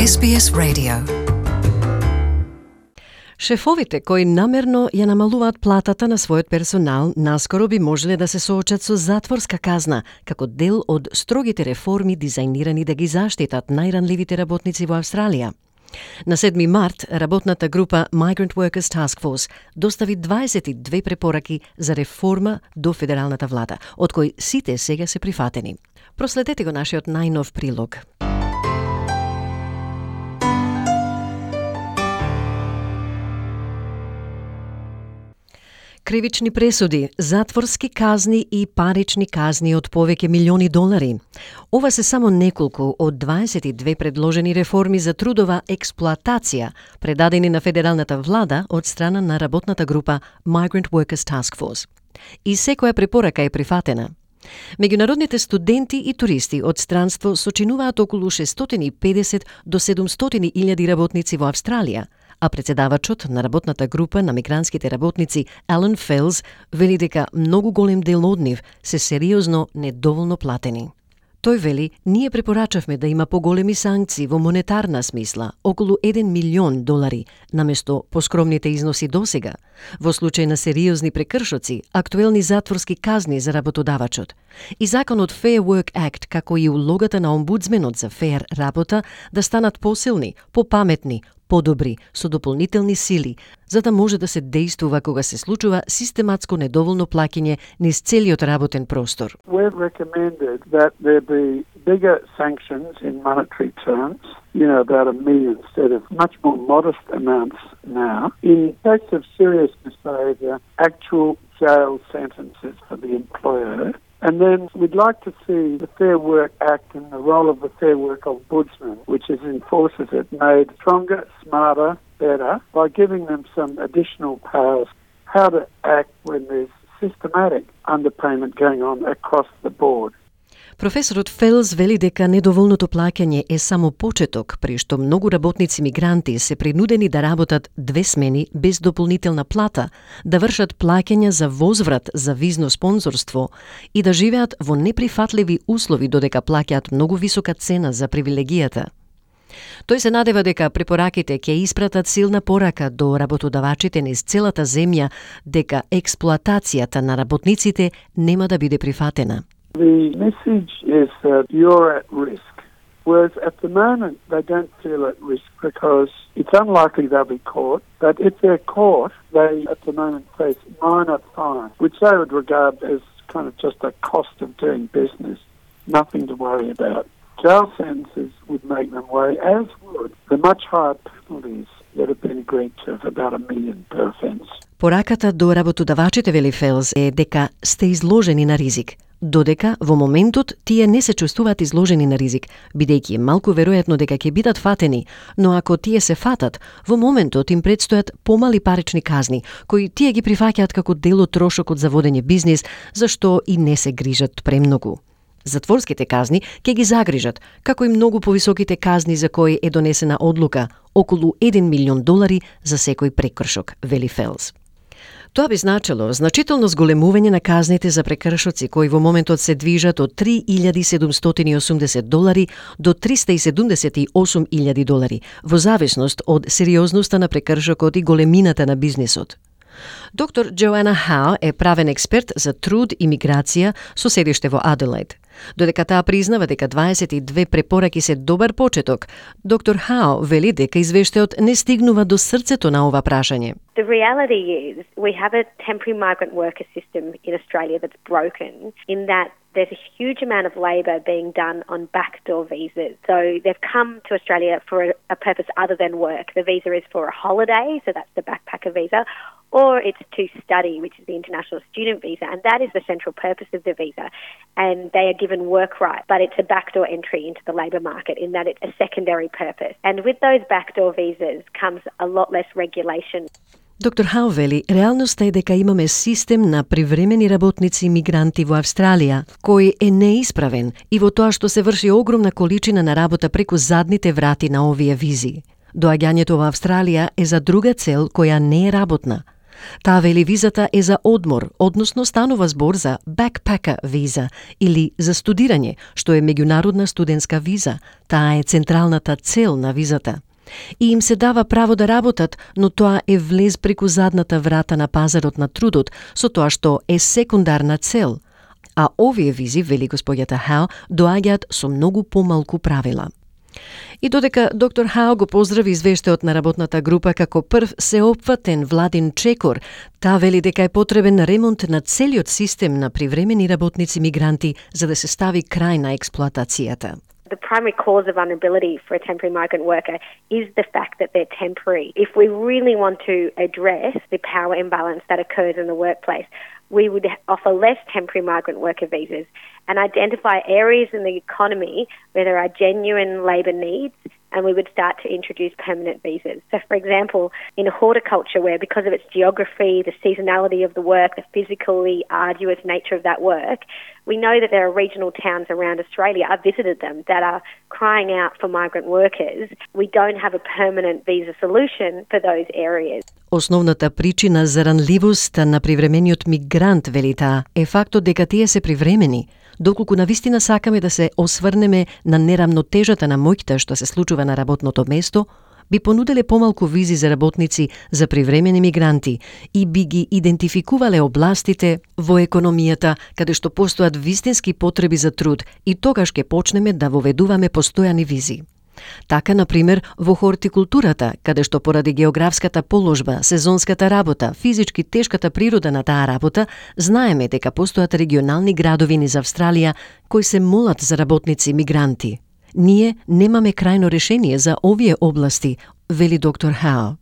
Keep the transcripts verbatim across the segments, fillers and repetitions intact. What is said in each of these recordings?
Ес Би Ес Radio. Шефовите кои намерно ја намалуваат платата на својот персонал наскоро би можеле да се соочат со затворска казна како дел од строгите реформи дизајнирани да ги заштитат најранливите работници во Австралија. На седми март, работната група Migrant Workers Task Force достави дваесет и две препораки за реформа до федералната влада, од кои сите сега се прифатени. Проследете го нашиот најнов прилог. Кривични пресуди, затворски казни и парични казни од повеќе милиони долари. Ова се само неколку од дваесет и две предложени реформи за трудова експлоатација, предадени на федералната влада од страна на работната група Migrant Workers Task Force. И секоја препорака е прифатена. Меѓународните студенти и туристи од странство сочинуваат околу шестстотини и педесет до седумстотини илјади работници во Австралија, а председавачот на работната група на мигрантските работници Алан Фелс вели дека многу голем дел од нив се сериозно недоволно платени. Тој вели, ние препорачавме да има поголеми санкции во монетарна смисла, околу еден милион долари, наместо поскромните износи досега, во случај на сериозни прекршоци, актуелни затворски казни за работодавачот. И законот Fair Work Act, како и улогата на омбудсменот за феер работа, да станат посилни, попаметни, подобри, со дополнителни сили, за да може да се действува кога се случува систематско недоволно плаќање низ целиот работен простор. We've recommended that there be bigger sanctions in monetary terms, you know, about a million instead of much more modest amounts now. In case of serious misbehaviour, actual jail sentences for the employer. And then we'd like to see the Fair Work Act and the role of the Fair Work Ombudsman, which is enforces it, made stronger, smarter, better, by giving them some additional powers how to act when there's systematic underpayment going on across the board. Професорот Фелс вели дека недоволното плаќање е само почеток, при што многу работници мигранти се принудени да работат две смени без дополнителна плата, да вршат плаќања за возврат за визно спонзорство и да живеат во неприфатливи услови додека плаќаат многу висока цена за привилегијата. Тој се надева дека препораките ќе испратат силна порака до работодавачите низ целата земја дека експлоатацијата на работниците нема да биде прифатена. The message is that you're at risk, whereas at the moment they don't feel at risk because it's unlikely they'll be caught, but if they're caught, they at the moment face minor fines, which they would regard as kind of just a cost of doing business, nothing to worry about. Jail sentences would make them worry, as would the much higher penalties that have been agreed to of about a million per offence. Пораката до работодавачите, вели Фелс, е дека сте изложени на ризик, додека во моментот тие не се чувствуваат изложени на ризик, бидејќи е малку веројатно дека ќе бидат фатени, но ако тие се фатат, во моментот им предстојат помали парични казни, кои тие ги прифаќаат како дел од трошокот за водење бизнис, зашто и не се грижат премногу. Затворските казни ќе ги загрижат, како и многу повисоките казни за кои е донесена одлука, околу еден милион долари за секој прекршок, вели Фелс. Тоа би значило значително зголемување на казните за прекршоци кои во моментот се движат од три илјади седумстотини и осумдесет долари до триста и седумдесет и осум илјади долари, во зависност од сериозноста на прекршокот и големината на бизнисот. Доктор Джоана Хау е правен експерт за труд и миграција со седиште во Аделаид. Додека таа признава дека дваесет и две препораки се добар почеток, доктор Хау вели дека извештајот не стигнува до срцето на ова прашање. The reality is we have a temporary migrant worker system in Australia that's broken in that there's a huge amount of labour being done on backdoor visas. So they've come to Australia for a, a purpose other than work. The visa is for a holiday, so that's the backpacker visa, or it's to study, which is the international student visa, and that is the central purpose of the visa. And they are given work right, but it's a backdoor entry into the labour market in that it's a secondary purpose. And with those backdoor visas comes a lot less regulation. Доктор Хау вели, реалноста е дека имаме систем на привремени работници и мигранти во Австралија, кој е неисправен и во тоа што се врши огромна количина на работа преку задните врати на овие визи. Доаѓањето во Австралија е за друга цел која не е работна. Таа вели визата е за одмор, односно станува збор за backpacker виза или за студирање, што е меѓународна студентска виза. Таа е централната цел на визата. И им се дава право да работат, но тоа е влез преку задната врата на пазарот на трудот, со тоа што е секундарна цел. А овие визи, вели господјата Хау, доаѓаат со многу помалку правила. И додека доктор Хау го поздрави извештајот на работната група како прв сеопфатен владин чекор, таа вели дека е потребен ремонт на целиот систем на привремени работници мигранти за да се стави крај на експлоатацијата. The primary cause of vulnerability for a temporary migrant worker is the fact that they're temporary. If we really want to address the power imbalance that occurs in the workplace, we would offer less temporary migrant worker visas and identify areas in the economy where there are genuine labour needs, and we would start to introduce permanent visas. So, for example, in horticulture, where because of its geography, the seasonality of the work, the physically arduous nature of that work, we know that there are regional towns around Australia, I've visited them, that are crying out for migrant workers. We don't have a permanent visa solution for those areas. Основната причина за ранливост на привремениот мигрант, вели таа, е фактот дека тие се привремени. Доколку навистина сакаме да се осврнеме на нерамнотежата на моќта што се случува на работното место, би понуделе помалку визи за работници за привремени мигранти и би ги идентификувале областите во економијата каде што постојат вистински потреби за труд и тогаш ќе почнеме да воведуваме постојани визи. Така, например, во хортикултурата, каде што поради географската положба, сезонската работа, физички тешката природа на таа работа, знаеме дека постојат регионални градови низ Австралија кои се молат за работници мигранти. Ние немаме крајно решение за овие области, вели доктор Хау.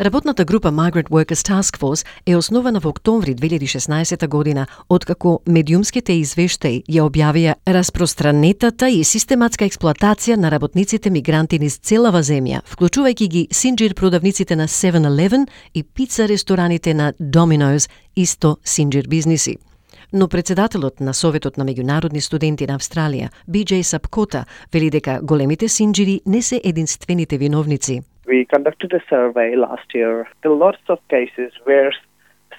Работната група Migrant Workers Task Force е основана во октомври две илјади и шеснаесета година, откако медиумските извештаи ја објавија распространетата и систематска експлоатација на работниците мигранти низ целава земја, вклучувајќи ги синџир продавниците на севен елевен и пица рестораните на Domino's, исто синџир бизниси. Но председателот на Советот на меѓународни студенти на Австралија, Би Џеј Сапкота, вели дека големите синџири не се единствените виновници. We conducted a survey last year. There are lots of cases where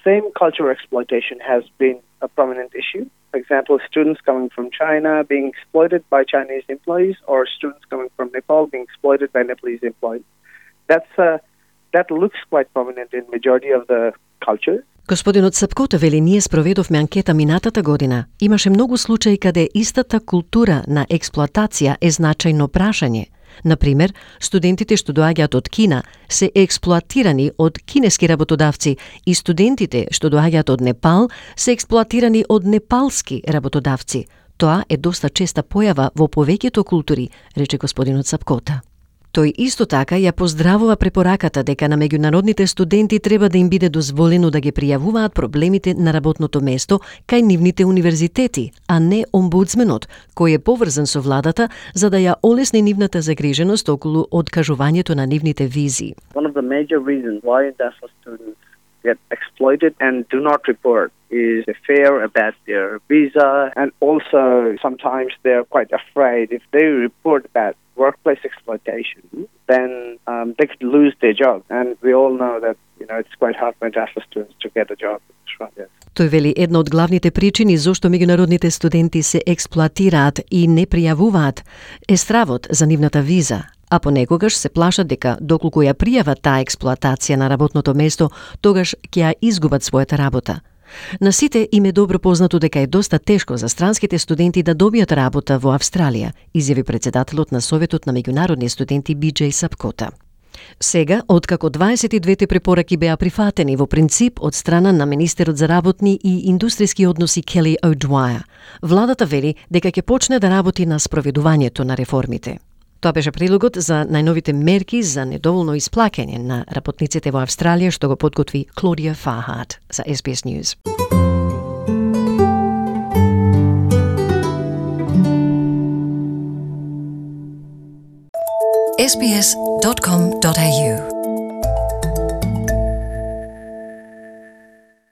same cultural exploitation has been a prominent issue. For example, students coming from China being exploited by Chinese employees, or students coming from Nepal being exploited by Nepalese employees. That's uh, that looks quite prominent in majority of the cultures. Господинот Сапкота вели, ние спроведовме анкета минатата година. Имаше многу случаи каде истата култура на експлоатација е значајно прашање. Например, студентите што доаѓаат од Кина се експлоатирани од кинески работодавци и студентите што доаѓаат од Непал се експлоатирани од непалски работодавци. Тоа е доста честа појава во повеќето култури, рече господинот Сапкота. Тој исто така ја поздравува препораката дека на меѓународните студенти треба да им биде дозволено да ги пријавуваат проблемите на работното место кај нивните универзитети, а не омбудсменот, кој е поврзан со владата за да ја олесни нивната загриженост околу откажувањето на нивните визи. One of the major reasons why international students get exploited and do not report is the fear about their visa, and also sometimes they're quite afraid if they report about workplace exploitation, then um, they could lose their job. And we all know that, you know, it's quite hard for international students to get a job in Australia. Тој вели една од главните причини зошто меѓународните студенти се експлоатираат и не пријавуваат е стравот за нивната виза, а понекогаш се плашат дека доколку ја пријават таа експлоатација на работното место, тогаш ќе ја изгубат својата работа. На сите им е добро познато дека е доста тешко за странските студенти да добијат работа во Австралија, изјави председателот на Советот на меѓународни студенти Би Џеј Сапкота. Сега, откако дваесет и двете препораки беа прифатени во принцип од страна на министерот за работни и индустријски односи Кели О'Двајер, владата вели дека ќе почне да работи на спроведувањето на реформите. Тоа беше прилогот за најновите мерки за недоволно исплаќање на работниците во Австралија, што го подготви Клодија Фархарт за Ес Би Ес News. ес би ес dot com dot a u